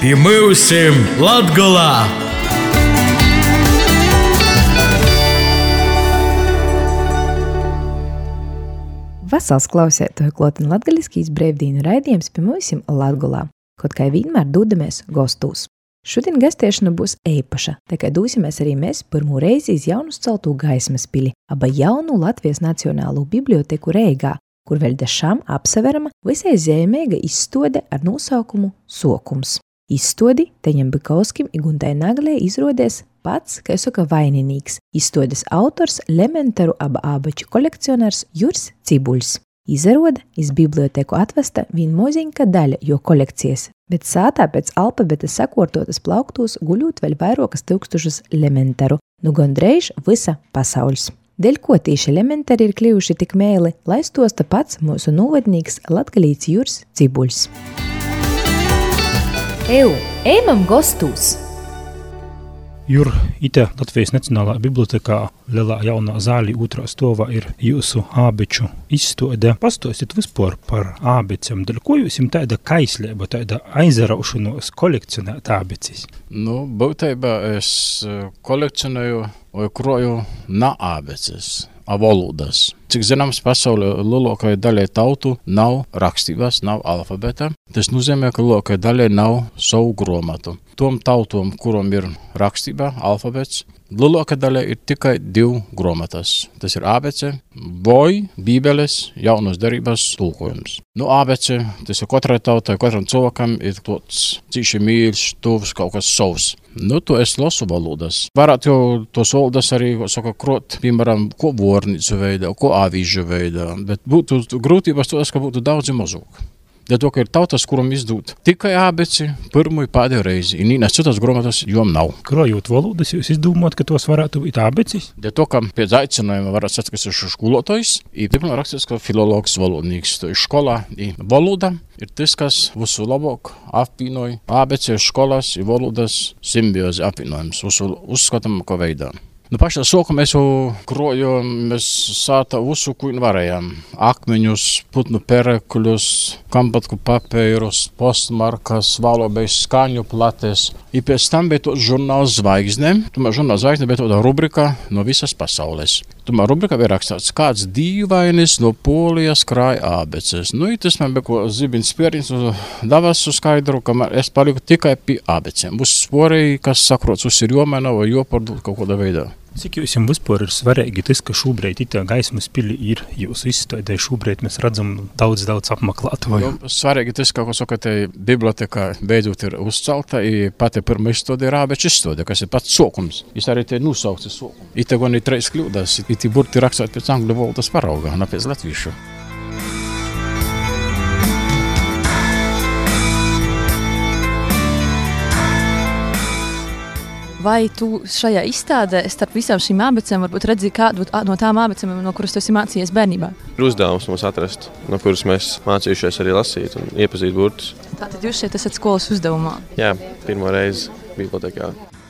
I myusim Latgolā! Vasals klausētoju klotin latgaliskīs brēvdīnu raidījums pie mūsim Latgolā, kaut kā vienmēr dūdamies gostūs. Šodien gastiešana būs eipaša, tā kā dūsimies arī mēs pirmo reizi iz jaunus celtū Gaismas pili, aba jaunu Latvijas Nacionālo biblioteku Reigā, kur vēl dešām apsaverama visai zīmīga izstode ar nosaukumu Sokums. Izstodi Teņam Bikauskim i Guntai Naglei izrodies pats, kā saka, vaininīgs. Izstodes autors Lementaru aba ābaču kolekcionārs Juris Cibuļs. Izaroda iz biblioteku atvesta vien moziņka daļa jo kolekcijas, bet sātā pēc alfabeta sakortotas plauktūs guļūt vēl vairokas tūkstošus Lementaru, nu gondreiž visa pasauļs. Dēļ ko tīši Lementari ir kļuvuši tik mēli, lai stosta pats mūsu novadnīgs latgalīts Juris Cibuļs. Ejam gostūs! Jur, ite Latvijas Nacionālā bibliotekā lielā jaunā zālī otrā stovā ir jūsu ābeču izstode. Pastostiet vispār par ābecem, dēļ ko jūs jums tāda kaislība, tāda aizaraušanos kolekcionēt ābecis? Būtībā es kolekcionēju vai kroju na ābeces, valodas. Cik zināms, pasaulē lielākajai daļai tautu nav rakstības, nav alfabeta. Tas nozīmē, ka lielākajai daļai nav savu gromatu. Tom tautom, kuram ir rakstība, alfabets, lielākajai daļai ir tikai 2 gromatas. Tas ir ABC, Boj, Bībeles, jaunos derības tulkojums. ABC, tas ir katrai tautai, katram cilvēkam ir tāds cīši mīļš, tuvs, kaut kas savs. To es lasu valodas. Varētu jau tos valodas arī, krot, piemēram, ko vornīcu veidā, ko avīžu veidā, bet būtu grūtības to, ka būtu daudz mazāk. Dēļ to, ka ir tautas, kuram izdūt tikai ābeci pirmo i pēdējo reizi, un nīnās citas gromatas jom nav. Krojot valodas, jūs izdomājat, ka tos varētu būt ābecis? Dēļ to, ka pēc aicinājuma varētu sacīt, ka es esmu skolotājs, i pirmā rakstīts, ka filologs valodnīgs. To ir skolā i valoda ir tas, kas visu labāk apvienoja ābeci, skolas i valodas simbiozi apvienojums, visu uzskatām, ko veidā. Pašā sākumā mēs jau krojam, mēs sāta visu, ko varējām. Akmeņus, putnu perekļus, kampatku papīrus, postmarkas, valobējas skaņu plates. I pēc tam bija tāds žurnāls Zvaigzne. Tomēr žurnāls Zvaigzne bija tāda rubrika no visas pasaules. Tomēr rubrika bija rakstīts, kāds dīvainis no Polijas krāja ābeces. Tas man bija ko zibins pierins, davas uz skaidru, ka es paliku tikai pie ābecēm. Būs sporēji, kas sakrots uz ir jomēna vai jopardūt kaut kādā veidā. Cik jums vispār ir svarīgi tas, ka šobrīd itā Gaismas pili ir jūsu izstādē, šobrīd mēs redzam daudz apmeklētāju? Svarīgi tas, ka, te biblioteka beidzot ir uzcelta, i pati pirma izstode ir ābeču izstode, kas ir pats sokums. Es arī te nosaukts sokumu. Ite gan ir 3 kļūdas, iti burti rakstāt pēc angļu valodas parauga, ne pēc latviešu. Vai tu šajā izstādē starp visām šīm ābecēm varbūt redzi kādu no tām ābecēm, no kuras tu esi mācījies bērnībā? Ir uzdevums mums atrast, no kuras mēs mācījušies arī lasīt un iepazīt burtus. Tātad jūs šeit esat skolas uzdevumā? Jā, pirmo reizi bibliotekā.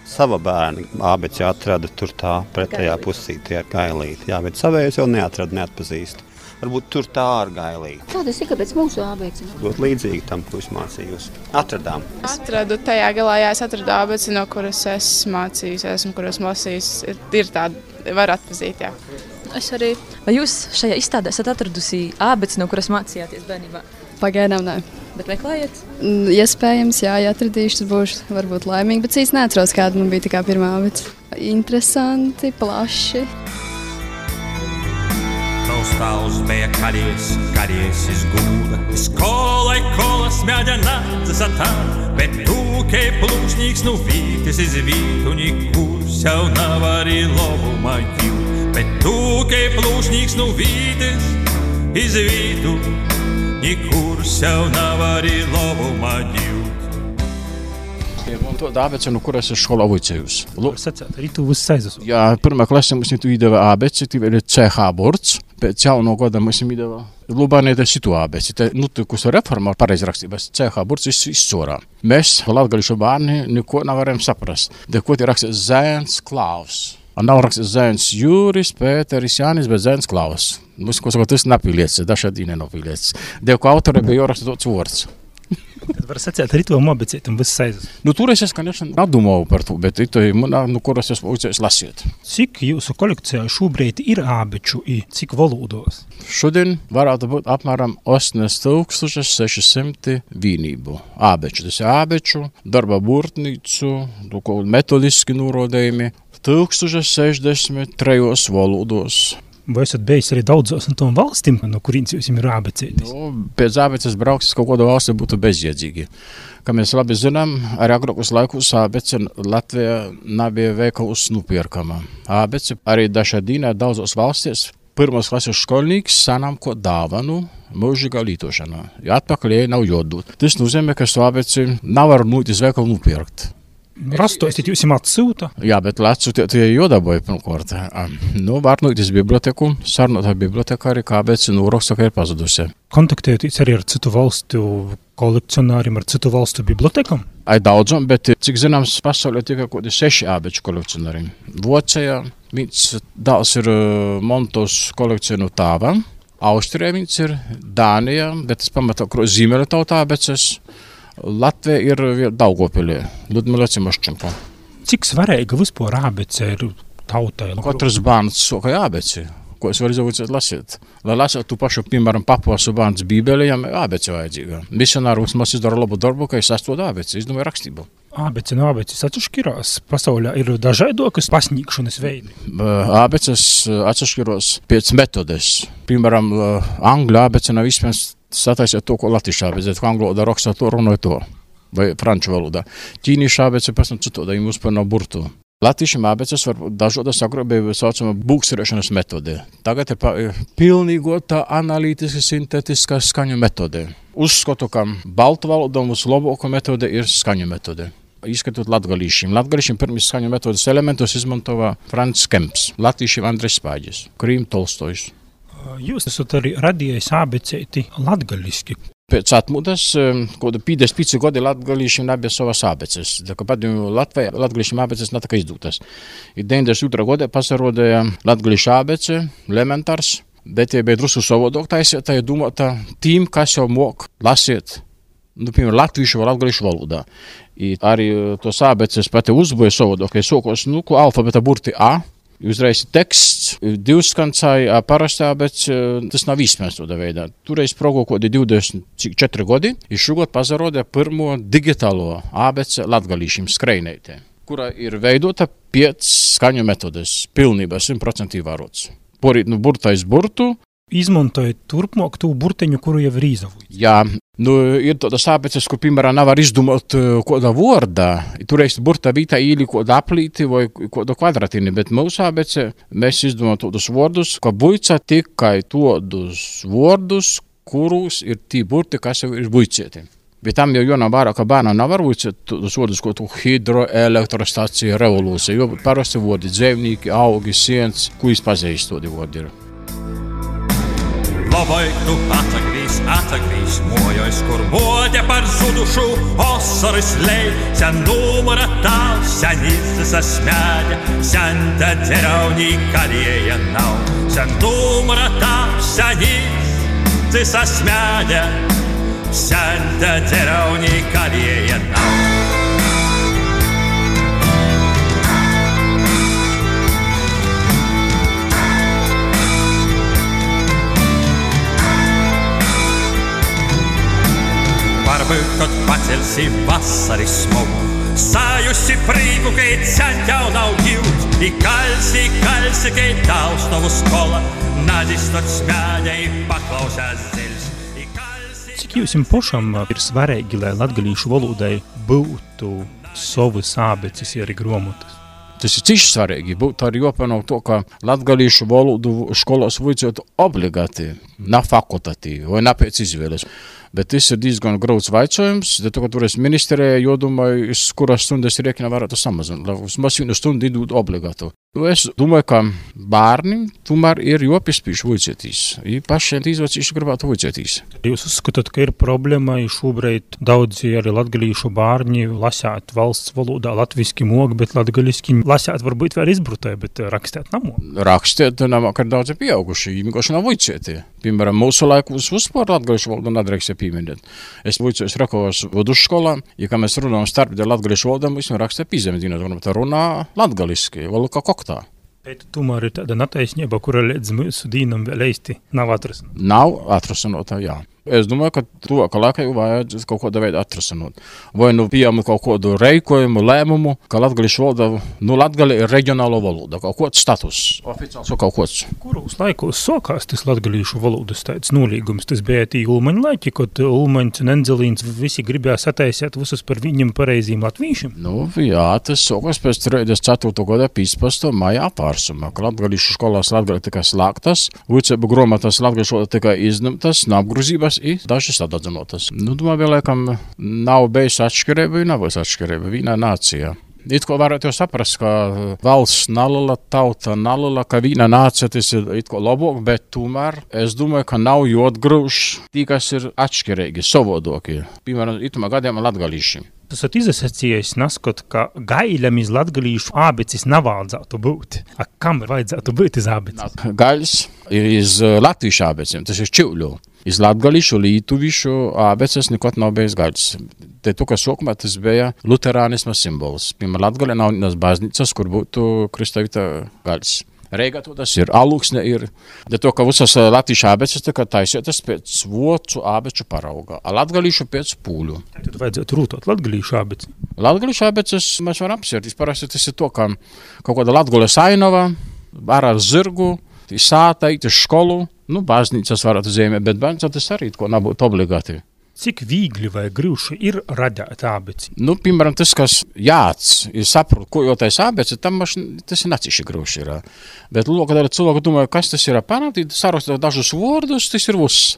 Sava bērna ābeci atrada tur tā pretējā pusītī ar gailīti. Jā, bet savējos jau neatrada, neatpazīst. Varbūt tur tā ar gailīti. Kādas ir, kāpēc mūsu ābeci? Ļoti līdzīgi tam, ko es mācījos. Atradām. Atradu tajā galā, es atradu ābeci, no kuras es mācījos, kuras lasījis. Ir tāda, var atpazīt, jā. Es arī. Vai jūs šajā izstādē esat atradusi ābeci, no kuras mācījāties bērnībā? Pagaidām nē. Bet meklējiet? Iespējams, jā, ja atradīšu, tad būšu varbūt laimīgi, bet īsti neatceros, kāda man bija tikai pirmā ābeci. Interesanti, plaši. Stāvs bija karies izgūda, skolai kolas mēģina zasatāt, bet tūkei plūšņīgs nu vītis izvītu, nikur sev nav arī lobumā jūt, bet tūkei plūšņīgs nu vītis izvītu, nikur sev nav arī lobumā jūt. To ābeci, no kuras es skolā vicējus. Arī tu uzsaizus? Jā, pirmā klasē mums tu iedeva ābeci, tie ir CH burts. Pēc jauno gada mums iedeva Lubānē citu ābeci. Te notikusi reforma pareizrakstības CH burts izsorā. Mēs, latgališu bērni, neko nevaram saprast. Ko tie rakstīts Zēns Klaus. Nav rakstīts Zēns Jūris, Pēteris Jānis, bet Zēns Klaus. Mums, ko saka, tas napīliecis, dažādi nenopīliecis. Ko autori bija jau rakstīts vārds. Tad var sacēt, ar to mobicētam viss aizas. Toreiz es, конечно, nedomāju par to, bet to ir kuras es uzdēs lasiet. Cik jūsu kolekcijā šobrīd ir ābeču i cik valodos? Šodien varētu būt apmēram 8600 vienību ābeču. Tas ir ābeču, darba burtnīcu, metodiski norodējumi 1063 valodos. Vai esat bijis arī daudzos no tom valstīm, no kurīns jūs ir ābecētis? Pēc ābeces brauks kaut kādu valsti būtu bezjēdzīgi. Kā mēs labi zinām, arī agrākos laikos ābece Latvijā nebija veikalus nupirkama. Ābece arī dažādīnā daudzos valstīs pirmos klases skolnieks sanām ko dāvanu mūžīgā lītošanā. Ja atpakaļ nav jodūt. Tas nozīmē, ka šo ābeci nevar iz veikalu nupirkt. Rastosit jūs atsūta? Jā, bet atsūta tie jodaboja pirmkārt. Var iz biblioteku, sarunāt ar bibliotekāri, kā ābece noraksta, ka ir pazudusi. Kontaktējoties arī ar citu valstu kolekcionāriem, ar citu valstu bibliotekam? Ai daudzam, bet cik zināms, pasaulē tikai kaut 6 ābeču kolekcionāri. Vācijā viens dāls ir Montos kolekcionu tāva, Austrijā viens ir Dānijā, bet tas pamatā Zīmeļa tauta ābeces. Latvija ir Daugavpilī, Ludmila Cimoščenko. Cik svarīga vispār ābece ir tautai? Katrs bērns soka ābeci, ko es varu izaudzēt lasīt. Lai lasītu tu pašu, piemēram, papuasu bērns Bībeli, jām ābece vajadzīga. Misionārs mums izdara labu darbu, ka es sastod ābeci, izdomāju rakstību. Ābece no ābeces atšķirās. Pasaulē ir dažādokas pasniegšanas veidi. Ābeces atšķirās pēc metodes. Piemēram, angļu ābece nav iespējams sataisīt to, ko latviešu ābece, ko angļu valodā rakstā to, runāja to, vai franču valodā. Ķīniešu ābece pēc tam citādi, ja mums par nav burtu. Latviešu ābeces var dažādas agrāk saucamā būksturēšanas metode. Tagad ir pilnīgota analītiska sintētiskā skaņu metode. Uzskatu, ka baltu valodām vislabākā metode ir skaņu metode. Izskatot latgalīšiem. Latgalīšiem pirmīs skaņu metodes elementus izmantoja Frants Kemps, latviešiem Andrejs Spāģis, Krīm Tolstojs. Jūs esat arī radījis ābecēti latgaliski. Pēc atmodas, kaut 55 gadi latgalīšiem nebija savas ābeces. Tā kā padomju Latvijā latgalīšiem ābeces nav tā kā izdūtas. 92. gadā pasarodēja latgalīšu ābece, elementārs, bet tie bija drusku savādāk taisīta, ja domāta tīm, kas jau mok lasīt, piemēram, latviešu vai latgalīšu valodā. I arī tos ābeces pati uzboja savādāk, ja sokos, ko alfabeta burti A, uzreiz teksts, divskancāji, parastā, bet tas nav īstenībā tādā veidā. Toreiz progo kodi 24 gadi, ir šogad pazarodē pirmo digitālo ābece latgalīšiem skrejneitē, kura ir veidota pēc skaņu metodes, pilnībā 100% ievērots. Porīt burtais burtu. Izmantojot turpmāk tū burteņu, kuru jau ir izavojis. Jā, ir tādas ābeces, kur, piemēram, nevar izdomāt kāda vārda. Toreiz burta vītā īli kāda aplīti vai kāda kvadratīni, bet mūsu ābece mēs izdomājam tādus vārdus, ka buica tikai tādus vārdus, kurus ir tī burti, kas jau ir buicēti. Bet tam jau nav vairāk, ka bērnam nevar buicēt tādus vārdus, ko tu hidroelektrostacija, revolūcija, jo parasti vārdi dzēvnīki, augi, siens, ko izpazīst tādi vārdi ir. Labai tu atsagrīs, mojais, kur bodė par zudušų, osaris lei, sen numara tau, senysis asmenė, sen tadėriau nei kalėje nau, sen numara tau, senysis asmenė, sen tadėriau nei kalėje nau. Varbūt, kad pacelsi vasaris smogu, sajusi prīgu, kai sen jau nav gilt, įkalsi, kai tau stāvu skola, nadistot smēļa, paklausās zils. Cik jums pašam ir svarīgi, lai latgalīšu valodai būtu savas ābeces arī grāmatas? Tas ir cīši svarīgi. Būtu arī jāpanāk to, ka latgalīšu valodu skolās vajadzētu obligāti, nav fakultatīvi vai nav pēc izvēles. Bet tas ir diezgan grauds vaicojums, tad, kad toreiz ministrē jodomāju, kuras stundas rēķina varētu samazināt, lai vismaz vienu stundu idūt obligātu. Es domāju, ka bērni tomēr ir jāpiespiež vajadzētīs. Pašiem izvacīši gribētu vajadzētīs. Jūs uzskatāt, ka ir problēma, šobrīd daudzi arī latgalīšu bērni lasāt valsts valodā latviski mok, bet latgaliski lasāt varbūt var izbrutē, bet rakstēt nav. Rakstēt nav, ka daudzi pieauguši, vienkārši nav vajadzēti. Piemēram, mūsu laikos vispār latgalīšu valodu nedrīkst pieminēt. Es vicos Rakovas vidusskolā, ja kā mēs runājam starpdē latgalīšu valodā, mēs rakstam pīzemedīnot, tā runā latgaliski, valodā koktā. Bet tomēr ir tāda netaisnība, kura līdz mūsu dīnam vēl īsti nav atrasinota. Nav atrasinota, jā. Es domāju, ka to, ka laikā vajag kaut kādā veidā atrasinot. Vai pieņemt kaut kādu reikojumu, lēmumu, ka latgalīšu valoda, latgali ir reģionālo valoda, kaut kāds status, oficiāls kaut kāds. Kuros laikos sākās tas latgalīšu valodas tāds nolīgums? Tas bija tī Ulmaņa laiki, kad Ulmaņs un Enzelīns visi gribēja sataisīt visus par viņam pareiziem latvīšiem? Jā, tas sākās pēc 34. gada 15. maija apvērsuma, ka latgalīšu skolās latgali tikai slēgtas, vicēbu grāmatas latgalīšu valoda tikai izņemtas, nav grūzības i dažas atdadzinotas. Domāju, vēl laikam nav bijis atšķirība, nav bijis atšķirība vienā nācijā. It ko varētu jau saprast, ka valsts nalala, tauta nalala, ka vienā nācija tas ir it ko labāk, bet tomēr es domāju, ka nav jāatgrūž tī, kas ir atšķirīgi, savodokie. Piemēram, itumā gadījumā latgalīši. Tas ir izasacījis naskot, ka gaiļam iz latgalīšu ābecis nevajadzētu būt. Kam vajadzētu būt iz ābecis? Gaļs ir iz latviešu ābeciem, tas ir čiuļu. Iz latgalīšu, lītuvišu ābeces nekot nav bijis gaļs. Te to, ka sākumā tas bija luterānisma simbols. Piemēram, Latgalē nav vienas baznīcas, kur būtu kristāvīta gaļs. Reigā to tas ir, alūksne ir. De to, ka visas latviešu ābeces tika taisītas pēc vocu ābeču parauga, a latgalīšu pēc pūļu. Tad vajadzētu rūtot latgalīšu ābeci. Latgalīšu ābeces mēs varam apsvērt. Parasti tas ir to, ka kaut kāda Latgales ainava, ar zirgu, sāta, īt uz skolu, baznīcas varētu zīmēt, bet baznīca tas arī ko nebūtu obligāti. Cik viegli vai grūši ir radīt ābeci? Piemēram, tas, kas jāts, ir saprot, ko jau tais ābeci, tam tas ir naciši grūši ir. Bet, kad arī cilvēki domāju, kas tas ir panākt, sarakstīt dažus vārdus, tas ir viss.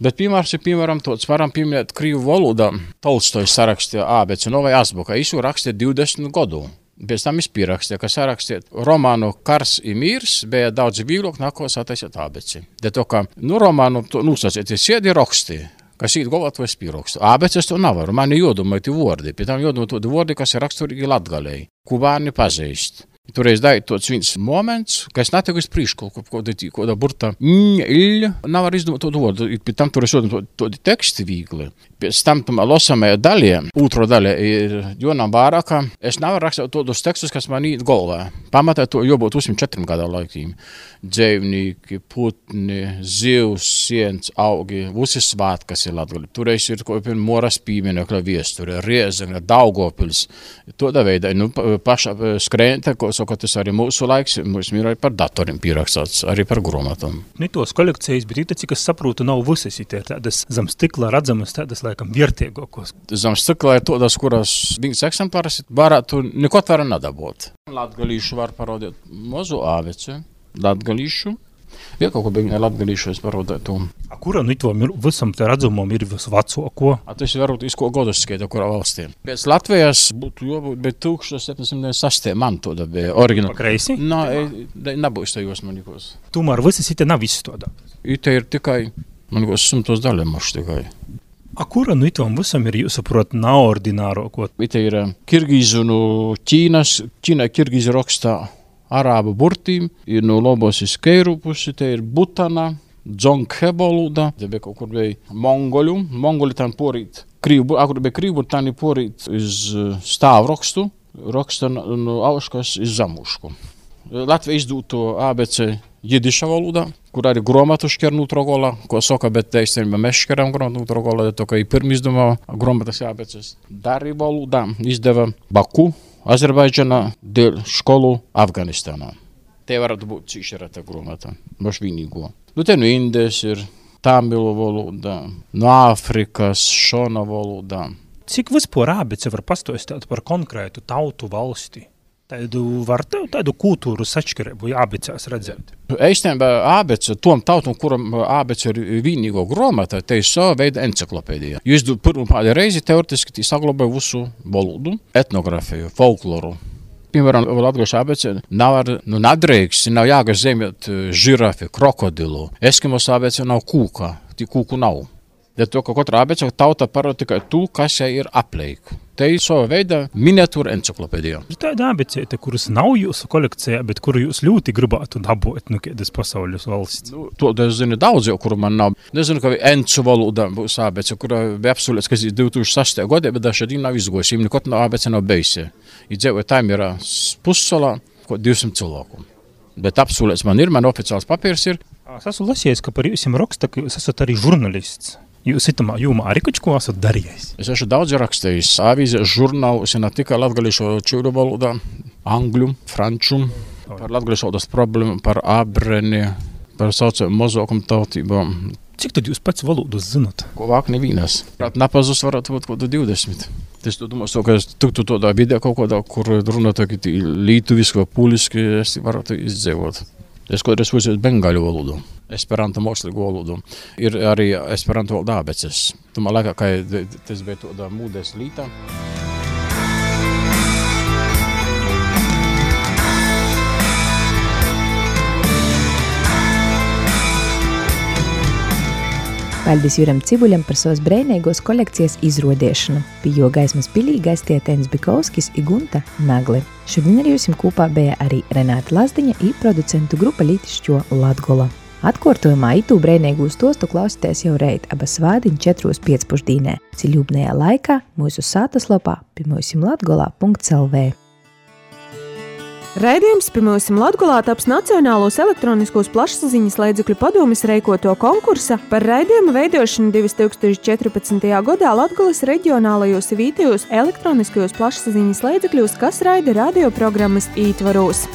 Bet, piemēram, tāds varam pieminēt krīvu valodā. Tolstojs sarakstīja ābeci, vai azbuka, viņš rakstīja 20 gadu. Pēc tam es pierakstīju, ka sarakstīt romānu Kars i mīrs bija daudz vieglāk nāko sataisīt ābeci. De to, ka, romānu nosacīt, siedi raksti, kas īt galvāt vai spīrakstu. Ābeces to nav, man ir jodomai tie vordi, pēc tam jodomai tie vordi, kas ir raksturīgi Latgalei, ko bērni pazīst. Toreiz dāja tāds viens moments, ka es netiku iz prīšku, kāda burta nav arī izdomāt to vordu. Pēc tam toreiz jodomai tādi teksti viegli. Pēc tam losamajā daļā, otro daļā ir jonām vārākā. Es nevaru rakstīt tādus tekstus, kas man īt galvā. Pamatā to jābūt 4 gadu laikiem. Dzēvnīki, putni, zivs, siens, augi, visi svātki, kas ir Latgalē. Toreiz ir Moras pieminekļa viesture, Riezekne, Daugavpils. Tādā veidā, paša skrēnte, ko saka, tas arī mūsu laiks, mums ir arī par datoriem pierakstāts, arī par grāmatām. Tos kolekcijas, bet cik es saprotu, nav visas ir tādas zem stikla redzamas, tādas laikam vērtīgākos. Zem stikla ir tādas, kuras viņas eksemplāras varētu nekot var nedabūt. Latgalīšu var parādīt mazu āveci. Latgalīšu. Ja kaut ko beigņā latgalīšu es parodētu. Kura itvam visam te redzamam ir visvecāko? Tas varbūt iz ko godus skaita, kurā valstī. Pēc Latvijas būtu jābūt, bet 1796. man to bija oriģināli. Pa kreisi? Nebūs tajos manikos. Tomēr visas ite nav izstādātas. Ite ir tikai, manikos 100 daļamaši tikai. Kura itvam visam ir, jūs saprot, neordināro ko? Ite ir Kirgīzu no Ķīna Kirgīzu rakstā arābu burtīm, ir no labos iz Keiru pusi, te ir Butana, Dzonghe valoda, te bija kaut kur bija Mongoļu, Mongoļi tam porīt krīvu, kur bija krīvu, tam ir porīt iz stāvu raksta no auškas iz zamušku. Latvija izdūto ABC jidiša valodā, kur arī grāmatu šķer nutrogola, ko saka, bet te īstenībā mēs šķeram grāmatu nutrogola, to, ka ir pirmi izdomā grāmatas ABCs. Dari valodā izdeva Baku, Azerbaidžanā, dēļ skolu Afganistānā. Te varētu būt cīšerata grāmata, baš vienīgo. Te no Indijas ir Tamilu valodā, no Āfrikas, Šona valodā. Cik vispār ābece var pastāstīt par konkrētu tautu valsti? Tādu kultūru sašķirību ābecēs redzēt? Eistenībā ābece, tom tautam, kuram ābece ir vienīgo grāmata, te ir sava veida enciklopēdija. Jūs pirmā reizi teoretiski saglabāja visu valodu, etnografiju, folkloru. Piemēram, latgalīšu ābece nav nadrīkst, nav jāgas zemēt žirafi, krokodilu. Eskimos ābece nav kūka, kūku nav. To, ka katra ābece tauta parāda tikai to, kas jai ir apleik. Te ir sava veida miniatūra enciklopēdija. Ir tāda abecēta, kuras nav jūsu kolekcijā, bet kuru jūs ļoti gribētu dabūt, kādas pasaules valsts. To es zinu daudz, jau, kuru man nav. Nezinu, ka encu valoda būs abece, kura bija apsolēts, ka 2006. gadā, bet šodien nav izgojusi. Viņam nekot abece nav bejusi. Ir dzīvoja Taimira pussalā, 200 cilvēku. Bet apsolēts man oficiāls papīrs ir. Es esmu lasījis, ka par jūsim raksta, ka jūs esat arī žurnalists. Jūs itamā jūmā arī kaut ko esat darījis? Es esmu daudz rakstījis. Avīze, žurnālus, ne tikai latgalīšu čūru valodā, angļu, franču, par latgalīšu valodas problēmu, par abreni, par saucēm mazākumu tautībām. Cik tad jūs pats valodas zinat? Ko vāk nevīnas. Napazus varētu būt kaut 20. Es domāju, ka es tiktu tādā vidē kaut kādā, kur runā lītuviski vai puliski, es varētu izdzēvot. Es kādreiz uzsēju bengaļu valodu, esperanto mākslīgu valodu. Ir arī esperanto valoda abeces. Tomēr laikā, ka tas bija tādā mūdes lītā. Paldies Juram Cibuļam par savas breinīgos kolekcijas izrodiešanu. Pie jo gaismas pilī gaistie Tens Bikovskis i Gunta Nagli. Šodien ar jūsim kopā bija arī Renāta Lazdiņa i producentu grupa Lītišķo Latgola. Atkārtojumā itū breinīgu stostu klausīties jau reit aba svādiņ 4:15. Ciļūbnējā laikā mūsu sātaslapā pimūsimlatgolā.lv. Raidījums Pimūsim Latgolā taps Nacionālos elektroniskos plašsaziņas līdzekļu padomes reikoto konkursa par raidījumu veidošanu 2014. gadā Latgolas reģionālajos vietējos elektroniskajos plašsaziņas līdzekļos, kas raida radioprogrammas ītvaros.